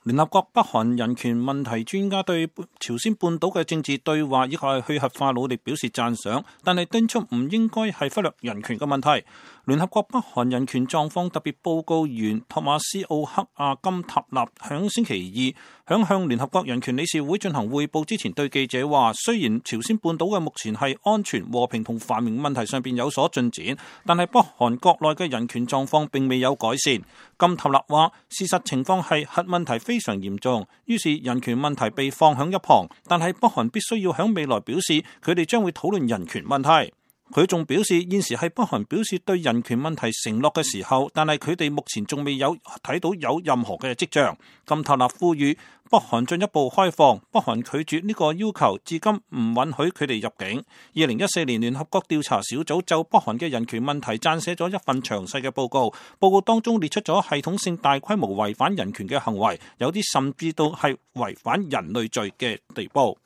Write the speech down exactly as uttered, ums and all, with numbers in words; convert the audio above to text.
聯合國北韓人權問題專家對朝鮮半島嘅政治對話以及去核化努力表示讚賞，但係敦促唔應該係忽略人權嘅問題。聯合國北韓人權狀況特別報告員托馬斯奧克阿金塔納響星期二響向聯合國人權理事會進行匯報之前對記者話，雖然朝鮮半島嘅目前係安全、和平同繁榮問題上邊有所進展，但係北韓國內嘅人權狀況並未有改善。金塔納話，事實情況係核問題非常嚴重，於是人權問題被放響一旁，但係北韓必須要響未來表示佢哋將會討論人權問題。佢仲表示，現時係北韓表示對人權問題承諾嘅時候，但係佢哋目前仲未有睇到有任何嘅跡象。金塔納呼籲北韓進一步開放，北韓拒絕呢個要求，至今唔允許佢哋入境。二零一四年聯合國調查小組就北韓嘅人權問題撰寫咗一份詳細嘅報告，報告當中列出咗系統性大規模違反人權嘅行為，有啲甚至到係違反人類罪嘅地步。